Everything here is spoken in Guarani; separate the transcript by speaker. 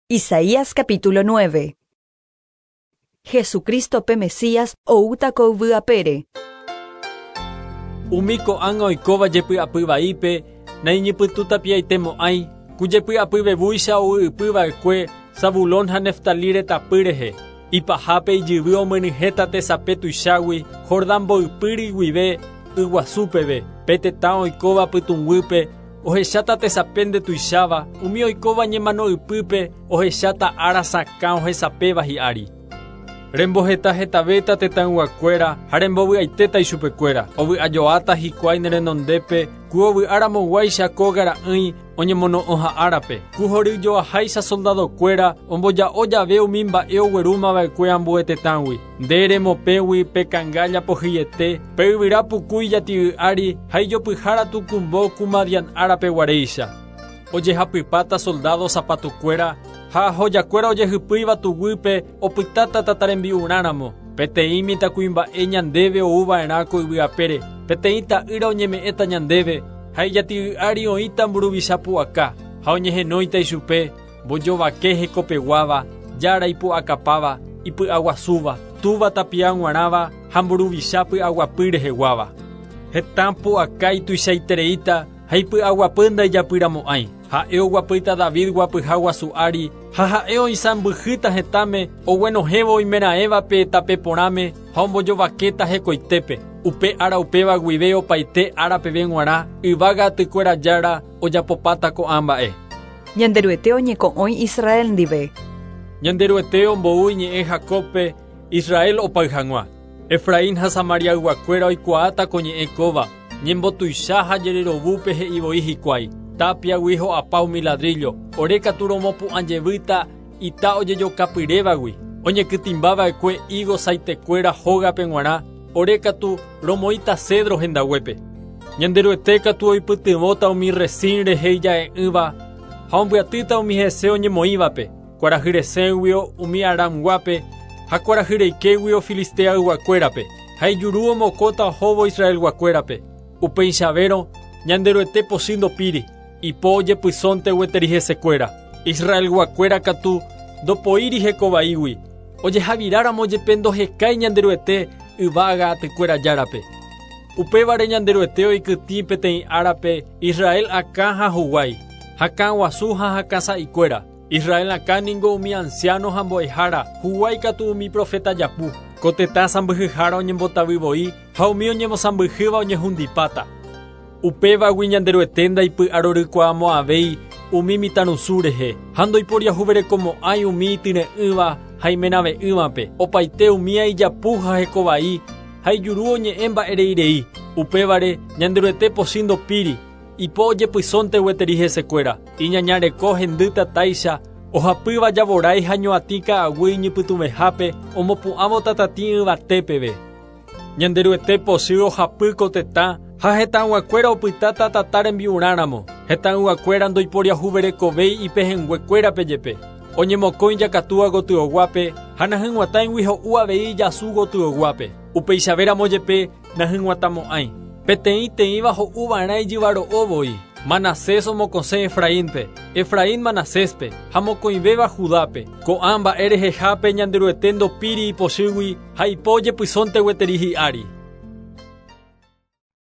Speaker 1: Isaías capítulo 9. Jesucristo pe Mesías oúta ko yvy apére.
Speaker 2: Umi ko'ág̃a oikóva jepy'apy vaípe naiñypytũ tapiaitemo'ãi, ku jepy'apy vevúicha ou ypy va'ekue Zabulón ha Neftalí retãpy rehe. Ipahápe ijyvy omyenyhẽta tesape tuichágui Jordán mboypýri guive yguasu peve, pe tetã oikóva pytũnguýpe Ohecháta tesape ndetuicháva, umi oikóva ñemano ypýpe ohecháta ára sakã ohesapéva hi'ári. Remboheta hetavéta tetãyguakuéra ha rembovy'aitéta ichupekuéra, ovy'ajoáta hikuái ne renondépe ku ovy'aramoguáicha kóga ra'ỹi oñemono'õha árape, ku horyjoaháicha soldadokuéra omboja'o jave umi mba'e oguerúmava'ekue ambue tetãgui. Nde remopẽgui pe kangálla pohyiete, pe yvyra puku ijati'y ári ha ijopyhára tukumbo ku Madian árape guaréicha. Ojehapypáta soldádo sapatukuéra ha ahojakuéra ojehypýiva tuguýpe opytáta tata rembi'urã ramo. Peteĩ mitãkuimba'e ñandéve ou va'erã ko yvy apére, peteĩ ta'ýra oñeme'ẽta ñandéve, ha ijati'y ári oĩta mburuvicha pu'aka, ha oñehenóita ichupe, Mbojovake hekopeguáva, Jára ipu'akapáva, ipy'aguasúva, Túva tapia g̃uarãva ha mburuvicha py'aguapy reheguáva. Hetã pu'aka ituichaitereíta ha ipy'aguapy ndaijapyramo'ãi. Ha'e oguapýta David guapyha guasu ári ha ha'e oisãmbyhýta hetãme oguenohẽvo oimeraẽvape tape porãme ha ombojovakéta hekoitépe. Upe ára upéva guive opaite ára peve g̃uarã yvága atykuéra Jára ojapopáta ko'ã mba'e.
Speaker 1: Ñanderuete oñeko'õi Israel ndive.
Speaker 2: Ñanderuete ombou iñe'ẽ Jacóbpe, Israel opay hag̃ua. Efraín ha Samariayguakuéra oikuaáta ko ñe'ẽ kóva, ñembotuicha ha jererovúpe he'i voi hikuái, Tápiagui ho'apa umi ladríllo, ore katu romopu'ã jevýta ita ojejokapyrévagui, oñekytĩmbava'ekue ígo saitekuéra hógape g̃uarã, ore katu romoĩta cedro hendaguépe. Ñanderuete katu oipytyvõta umi Resín rehe ija'e'ỹva ha ombyatýta umi hese oñemoĩvape, kuarahy resẽguio umi Aramguápe ha kuarahy reikéguio Filisteayguakuérape, ha ijuru omokõta ohóvo Israelguakuérape. Upeichavérõ, Ñanderuete pochy ndopíri, ipo ojepysónte gueteri hesekuéra. Israelguakuéra katu ndopoíri heko vaígui, ojehaviráramo jepe ndohekái Ñanderuete yvága atykuéra Járape. Upévare Ñanderuete oikytĩ peteĩ árape Israel akã ha huguái, hakã guasu ha hakã sa'ikuéra. Israel akã ningo umi ansiáno ha mbo'ehára, huguái katu umi proféta japu. Ko tetã sãmbyhyhára oñembotavy voi ha umi oñemosãmbyhýva oñehundipáta. Upévagui Ñanderuete ndaipy'arorykuaamo'ãvéi umi mitãrusu rehe, ha ndoiporiahuverekomo'ãi umi ityre'ỹva ha imenave'ỹvape, opaite umía ijapu ha hekovai, ha ijuru oñe'ẽ mba'e rei rei. Upévare, Ñanderuete pochy ndopíri, ipo ojepysónte gueteri hesekuéra. Iñaña reko hendy tatáicha, ohapýva javorái ha ñoatĩ ka'aguy iñypytũvehápe omopu'ãvo tatatĩ yvate peve. Ñanderuete pochy ohapy ko tetã ha hetãyguakuéra opytáta tata rembi'urã ramo. Hetãyguakuéra ndoiporiahuverekovéi ipehẽnguekuérape jepe. Oñemokõi jakatúa gotyoguápe ha nahyg̃uatãigui ho'u avei ijasu gotyoguápe. Upeichavéramo jepe nahyg̃uatãmo'ãi. Peteĩ teĩva ho'u va'erã ijyvaro'o voi. Manasés omokõsẽ Efraínpe, Efraín Manaséspe, ha mokõivéva Judápe. Ko'ã mba'e rehehápe Ñanderuete ndopíri ipochýgui ha ipo ojepysónte gueteri hi'ári.